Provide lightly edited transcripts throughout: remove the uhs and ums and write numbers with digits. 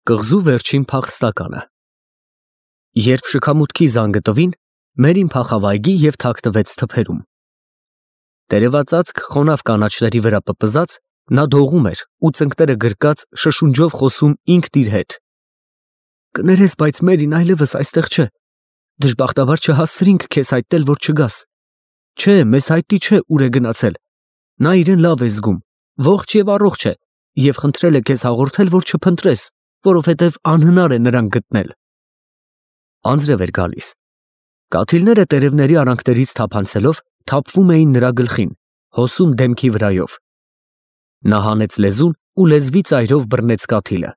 Կղզու վերջին փախստականը։ Երբ շքամուտքի զանգը տվին, Մերին փախավ այգի և թաքնվեց թփերում։ Տերևածածկ խոնավ կանաչների վրա պպզած, նա դողում էր ու ծնկները գրկած շշունջով խոսում ինքն իր հետ. «Կներես, բայց Մերին այլևս այստեղ չէ։ Դժբախտաբար չհասցրինք քեզ հայտնել, որ չգաս։ Չէ, մեզ հայտնի չէ ուր է գնացել։ Նա իրեն լավ է զգում, ողջ և առողջ է, և խնդրել է քեզ հաղորդել, որ չփնտրես, որովհետև անհնար է նրան գտնել»։ Անձրև էր գալիս։ Կաթիլները տերևների արանքներից թափանցելով թափվում էին նրա գլխին, հոսում դեմքի վրայով։ Նա հանեց լեզուն ու լեզվի ծայրով բռնեց կաթիլը։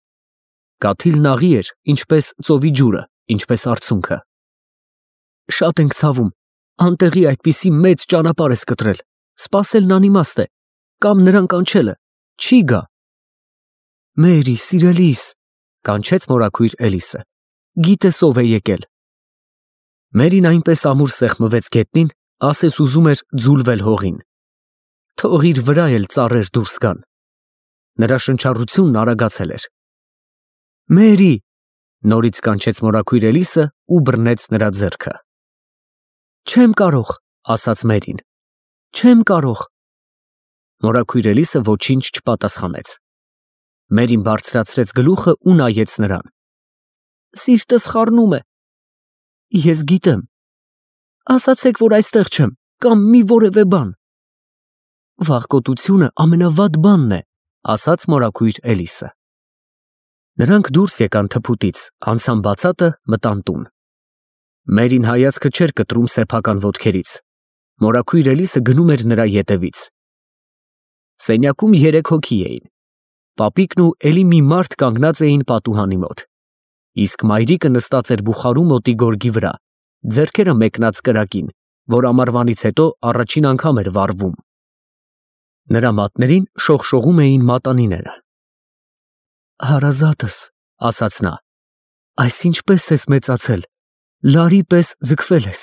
Կաթիլն աղի էր, ինչպես ծովի ջուրը, ինչպես արցունքը։ «Շատ ենք ցավում, անտեղի այդպիսի մեծ ճանապարհ ես կտրել, սպասելն անիմաստ է, կամ նրան կանչելը, չի գա»։ «Մերի, սիրելիս», կանչեց մորաքույր Էլիսը, «գիտես ով է եկել»։ Մերին այնպես ամուր սեղմվեց գետնին, ասես ուզում էր ձուլվել հողին։ Թող իր վրա էլ ծառեր դուրս գան։ Նրա շնչառությունն արագացել էր։ «Մերի», նորից կանչեց մորաքույր Էլիսը ու բռնեց նրա ձեռքը։ «Չեմ կարող», ասաց Մերին, «չեմ կարող»։ Մորաքույր Էլիսը ոչինչ չպատասխանեց։ Մերին բարձրացրեց գլուխը ու նայեց նրան։ «Սիրտս խառնում է»։ «Ես գիտեմ»։ «Ասացեք, որ այստեղ չեմ, կամ մի որևէ բան»։ «Վախկոտությունը ամենավատ բանն է», ասաց մորաքույր Էլիսը։ Նրանք դուրս եկան թփուտից, անցան բացատը, մտան տուն։ Մերին հայացքը չէր կտրում սեփական ոտքերից։ Մորաքույր Էլիսը գնում էր նրա ետևից։ Սենյակում 3 հոգի էին։ Պապիկն ու էլի մի մարդ կանգնած էին պատուհանի մոտ։ Իսկ մայրիկը նստած էր բուխարու մոտի գորգի վրա, ձեռքերը մեկնած կրակին, որ ամառվանից հետո առաջին անգամ էր վառվում։ Նրա մատներին շողշողում էին մատանիները։ «Հարազատս», ասաց նա, «այս ինչպես ես մեծացել, լարի պես ձգվել ես»։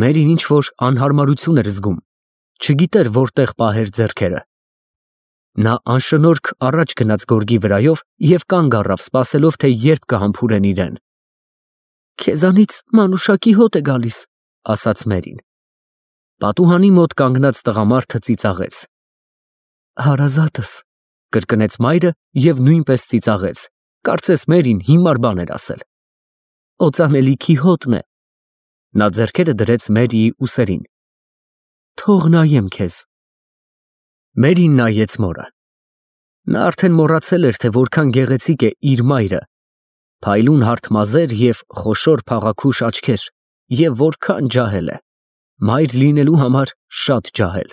Մերին ինչ-որ անհարմարություն էր զգում, չգիտեր որտեղ պահեր ձեռքերը։ Նա անշնորհք առաջ գնաց գորգի վրայով և կանգ առավ, սպասելով, թե երբ կհամբուրեն իրեն։ «Քեզանից մանուշակի հոտ է գալիս», ասաց Մերին։ Պատուհանի մոտ կանգնած տղամարդը ծիծաղեց։ «Հարազատս», կրկնեց մայրը և նույնպես ծիծաղեց, կարծես Մերին հիմար բան էր ասել։ «Օծանելիքի հոտն է»։ Նա ձեռքերը դրեց Մերիի ուսերին։ «Թող նայեմ քեզ»։ Մերին նայեց մորը։ Նա արդեն մոռացել էր, թե որքան գեղեցիկ է իր մայրը, փայլուն հարթ մազեր և խոշոր փաղաքուշ աչքեր, և որքան ջահել է, մայր լինելու համար շատ ջահել։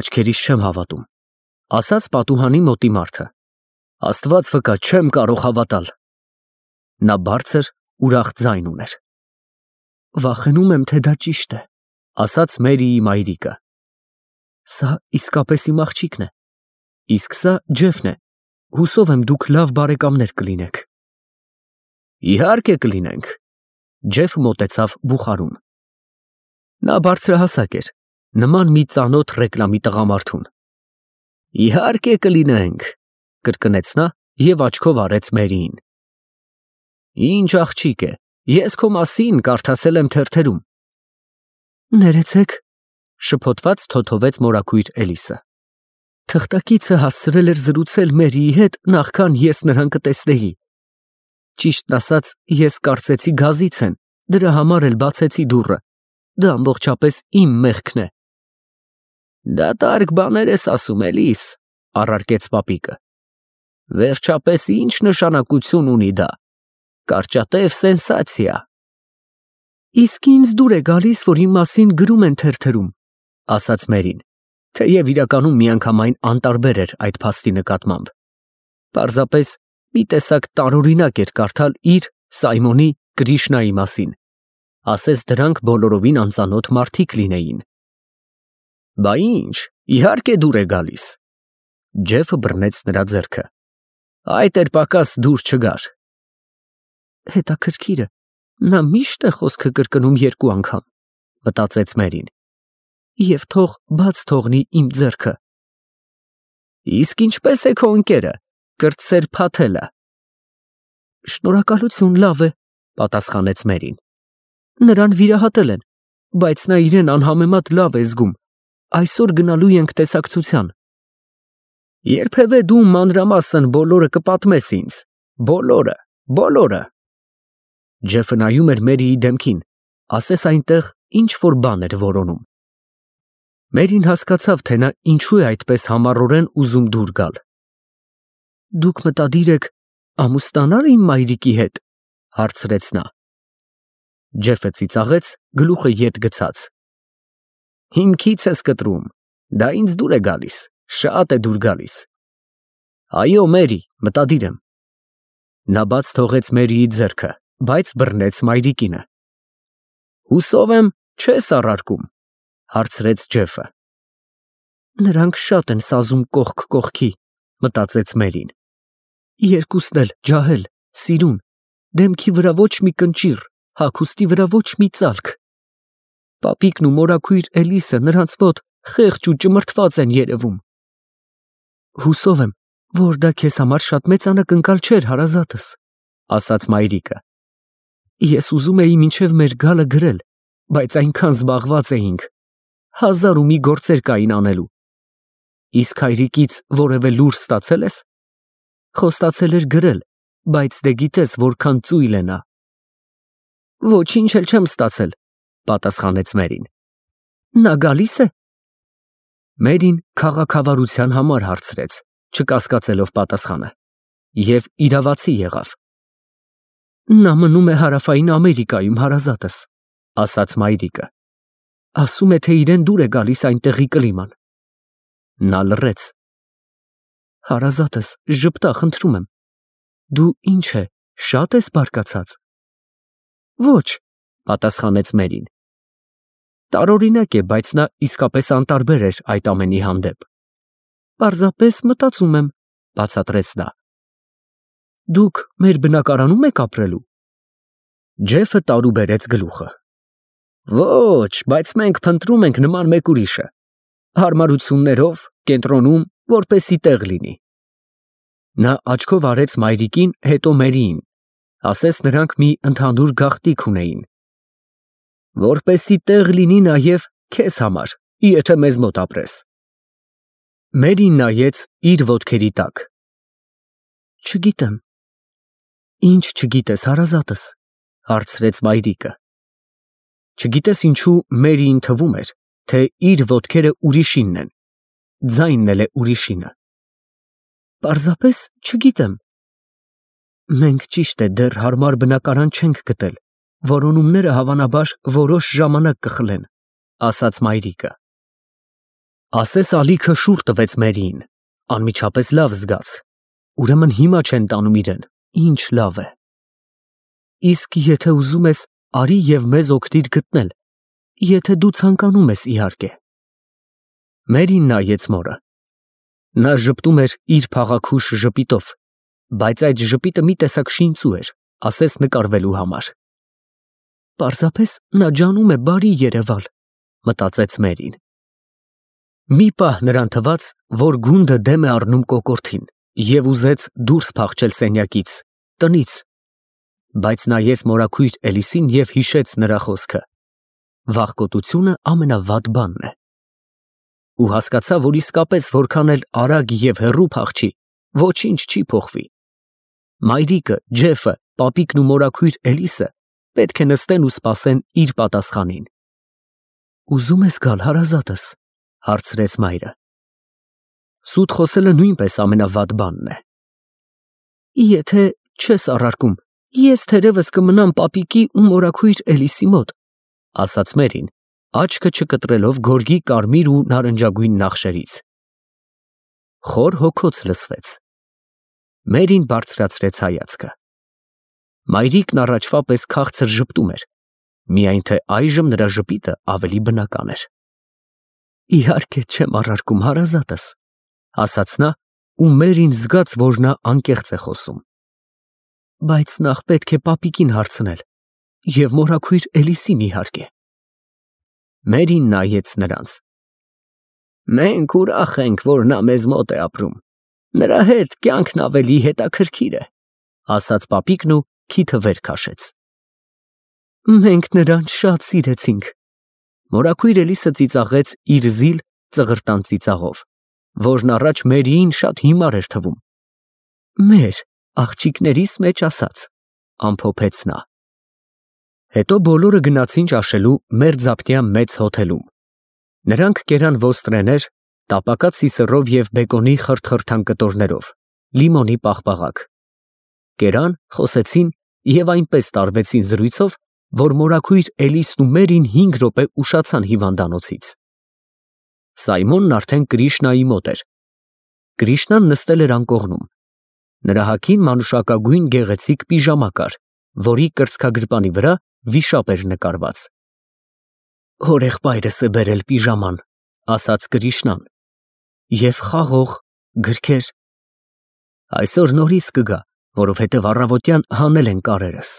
«Աչքերիս չեմ հավատում», ասաց պատուհանի մոտի մարդը։ «Աստված վկա, չեմ կարող հավատալ»։ Նա բարձր, ուրախ ձայն ուներ։ «Վախենում եմ, թե դա ճիշտ է», ասաց Մերիի մայրիկը։ «Սա իսկապես իմ աղջիկն է, իսկ սա Ջեֆն է, հուսով եմ դուք լավ բարեկամներ կլինեք»։ «Իհարկե կլինենք»։ Ջեֆը մոտեցավ բուխարուն։ Նա բարձրահասակ էր, նման մի ծանոթ ռեկլամի տղամարդուն։ «Իհարկե կլինենք», կրկնեց նա և աչքով արեց Մերիին։ «Ինչ աղջիկ է, ես քո մասին կարդացել եմ թերթերում»։ «Ներեցեք», շփոթված թոթվեց մորաքույր Էլիսը։ «Թղթակիցը հասցրել էր զրուցել Մերիի հետ, նախքան ես նրան կտեսնեի։ Ճիշտն ասած, ես կարծեցի գազից են, դրա համար էլ բացեցի դուռը, դա ամբողջապես իմ մեղքն է»։ «Դատարկ բաներ ես ասում, Էլիս», առարկեց պապիկը։ «Վերջապես ինչ նշանակություն ունի դա։ Կարճատև սենսացիա»։ «Իսկ ինձ դուր է գալիս, որ իմ մասին գրում են թերթերում», ասաց Մերին, թեև իրականում միանգամայն անտարբեր էր այդ փաստի նկատմամբ։ Պարզապես մի տեսակ տարօրինակ էր կարդալ իր, Սայմոնի, Կրիշնայի մասին, ասես դրանք բոլորովին անծանոթ մարդիկ լինեին։ «Բա ինչ, իհարկե դուր է գալիս»։ Ջեֆը բռնեց նրա ձեռքը։ «Այդ էր պակաս դուր չգար»։ «Հետաքրքիր է, նա միշտ է խոսքը կրկնում 2 անգամ», մտածեց Մերին։ «Եվ թող բաց թողնի իմ ձեռքը»։ «Իսկ ինչպես է քո ընկերը, կրտսեր փաթելը։ Շնորհակալություն, լավ է, պատասխանեց Մերին։ Նրան վիրահատել են, բայց նա իրեն անհամեմատ լավ է զգում։ Այսօր գնալու ենք տեսակցության։ Երբևէ դու մանրամասն բոլորը կպատմես ինձ, բոլորը։ Ջեֆը նայում էր Մերիի դեմքին, ասես այնտեղ ինչ որ բան էր որոնում։ Մերին հասկացավ, թե նա ինչու է այդպես համառորեն ուզում դուր գալ։ Դուք մտադիր եք ամուսնանալ իմ մայրիկի հետ, հարցրեց նա։ Ջեֆը ծիծաղեց, գլուխը ետ գցած։ Հիմքից ես կտրում, դա ինձ դուր է գալիս, շատ է դուր գալիս։ Այո, Մերի, մտադիր եմ։ Նա բաց թողեց Մերիի ձեռքը, բայց բռնեց մայրիկինը։ Հուսով եմ, չես առարկում, հարցրեց Ջեֆը։ Նրանք շատ են սազում կողք կողքի, մտածեց Մերին։ Երկուսն էլ ջահել, սիրուն, դեմքի վրա ոչ մի կնճիռ, հագուստի վրա ոչ մի ծալք։ Պապիկն ու մորաքույր Էլիսը նրանց մոտ խեղճ ու ճմրթված են երևում։ Հուսով եմ, որ դա քեզ համար շատ մեծ անակնկալ չէր, հարազատս, ասաց մայրիկը։ Ես ուզում էի մինչև մեր գալը գրել, բայց այնքան զբաղված էինք, 1001 գործեր կային անելու։ Իսկ հայրիկից որևէ լուր ստացել ես։ Խոստացել էր գրել, բայց դե գիտես որքան ծույլ է նա։ Ոչինչ էլ չեմ ստացել, պատասխանեց Մերին։ Նա գալիս է։ Մերին քաղաքավարության համար հարցրեց, չկասկածելով պատասխանը, և իրավացի եղավ։ Նա մնում է Հարավային Ամերիկայում, հարազատս, ասաց մայրիկը։ Ասում է, թե իրեն դուր է գալիս այնտեղի կլիման։ Նա լռեց։ Հարազատս, ժպտա, խնդրում եմ։ Դու ինչ է, շատ ես բարկացած։ Ոչ, պատասխանեց Մերին։ Տարօրինակ է, բայց նա իսկապես անտարբեր էր այդ ամենի հանդեպ։ Պարզապես մտածում եմ, բացատրեց նա։ Դուք մեր բնակարանում եք ապրելու։ Ջեֆը տարուբերեց գլուխը։ Ոչ, բայց մենք փնտրում ենք նման մեկ ուրիշը։ Հարմարություններով, կենտրոնում, որպեսի տեղ լինի։ Նա աչքով արեց մայրիկին, հետո Մերիին, ասես նրանք մի ընդհանուր գաղտնիք ունեին։ Որպեսի տեղ լինի նաև քեզ համար, եթե մեզ մոտ ապրես։ Մերին նայեց իր ոտքերի տակ։ Չգիտեմ։ Ինչ չգիտես, հարազատս, հարցրեց մայրիկը։ Չգիտես ինչու Մերիին թվում էր, թե իր ոտքերը ուրիշինն են, ձայնն էլ է ուրիշինը։ Պարզապես չգիտեմ։ Մենք ճիշտ է դեռ հարմար բնակարան չենք գտել, որոնումները հավանաբար որոշ ժամանակ կխլեն, ասաց մայրիկը։ Ասես ալիքը շուռ տվեց Մերիին, անմիջապես լավ զգաց։ Ուրեմն հիմա չեն տանում իրեն, ինչ լավ է։ Իսկ եթե ուզում ես, արի և մեզ օգնիր գտնել, եթե դու ցանկանում ես, իհարկե։ Մերին նայեց մորը։ Նա ժպտում էր իր փաղաքուշ ժպիտով, բայց այդ ժպիտը մի տեսակ շինծու էր, ասես նկարվելու համար։ Պարզապես նա ջանում է բարի երևալ, մտածեց Մերին։ Մի պահ նրան թվաց, որ գունդը դեմ է առնում կոկորդին, և ուզեց դուրս փախչել սենյակից, տնից, բայց նայեց մորաքույր Էլիսին և հիշեց նրա խոսքը. վախկոտությունը ամենավատ բանն է։ Ու հասկացավ, որ իսկապես որքան էլ արագ և հեռու փախչի, ոչինչ չի փոխվի։ Մայրիկը, Ջեֆը, պապիկն ու մորաքույր Էլիսը պետք է նստեն ու սպասեն իր պատասխանին։ Ուզում ես գալ, հարազատս, հարցրեց մայրը։ Սուտ խոսելը նույնպես ամենավատ բանն է։ Եթե չես առարկում, ես թերևս կմնամ պապիկի ու մորաքույր Էլիսի մոտ, ասաց Մերին, աչքը չկտրելով գորգի կարմիր ու նարնջագույն նախշերից։ Խոր հոգոց լսվեց։ Մերին բարձրացրեց հայացքը։ Մայրիկն առաջվա պես քաղցր ժպտում էր, միայն թե այժմ նրա ժպիտը ավելի բնական էր։ Իհարկե չեմ առարկում, հարազատս, ասաց նա, ու Մերին զգաց, որ նա անկեղծ է խոսում։ Բայց նախ պետք է պապիկին հարցնել, և մորաքույր Էլիսին իհարկե։ Մերին նայեց նրանց։ Մենք ուրախ ենք, որ նա մեզ մոտ է ապրում։ Նրա հետ կյանքն ավելի հետաքրքիր է, ասաց պապիկն ու քիթը վեր քաշեց։ Մենք նրան շատ սիրեցինք։ Մորաքույր Էլիսը ծիծաղեց իր զիլ ծղրտան ծիծաղով, որն առաջ Մերիին շատ հիմար էր թվում։ Մեր աղջիկներիս մեջ ասած, ամփոփեց նա։ Հետո բոլորը գնացին ճաշելու մերձապտյա մեծ հոթելում։ Նրանք կերան ոստրեներ, տապակած սիսեռով և բեկոնի խրթխրթան կտորներով, լիմոնի պաղպաղակ։ Կերան, խոսեցին և այնպես տարվեցին զրույցով, որ մորաքույր Էլիսն ու Մերին 5 րոպե ուշացան հիվանդանոցից։ Սայմոնն արդեն Կրիշնայի մոտ էր։ Կրիշնան նստել էր անկողնում։ Նրա հագին մանուշակագույն գեղեցիկ պիժամա կար, որի կրծքագրպանի վրա վիշապ էր նկարված։ Հորեղբայրս է բերել պիժաման, ասաց Կրիշնան, և խաղող գրքեր։ Այսօր նորից կգա, որովհետև առավոտյան հանել են կարերս։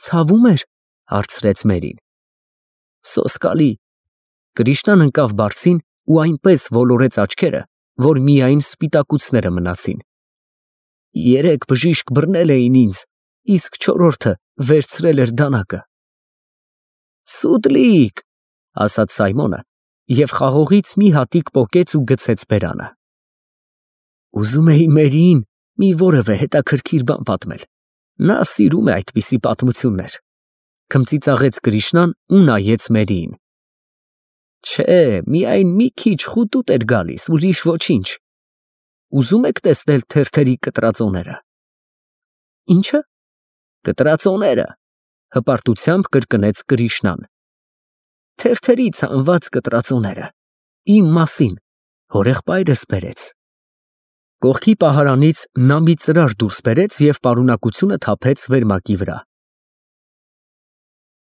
Ցավում էր, հարցրեց Մերին։ Սոսկալի։ Կրիշնան ընկավ բարձին ու այնպես ոլորեց աչքերը, որ միայն սպիտակուցները մնացին։ 3 բժիշկ բռնել էին ինձ, իսկ 4-րդը վերցրել էր դանակը։ Սուտլիկ, ասաց Սայմոնը և խաղողից մի հատիկ պոկեց ու գցեց բերանը։ Ուզում էի Մերիին մի որևէ հետաքրքիր բան պատմել։ Նա սիրում է այդպիսի պատմություններ, քմծիծաղեց Կրիշնան ու նայեց Մերիին։ Չէ, միայն մի քիչ խուտուտ էր գալիս, ուրիշ ոչինչ։ Ուզում եք տեսնել թերթերի կտրածոները։ Ինչը։ Կտրածոները, հպարտությամբ կրկնեց Կրիշնան։ Թերթերից հանված կտրածոները, իմ մասին, հորեղբայրս բերեց։ Կողքի պահարանից նա մի ծրար դուրս բերեց և պարունակությունը թափեց վերմակի վրա։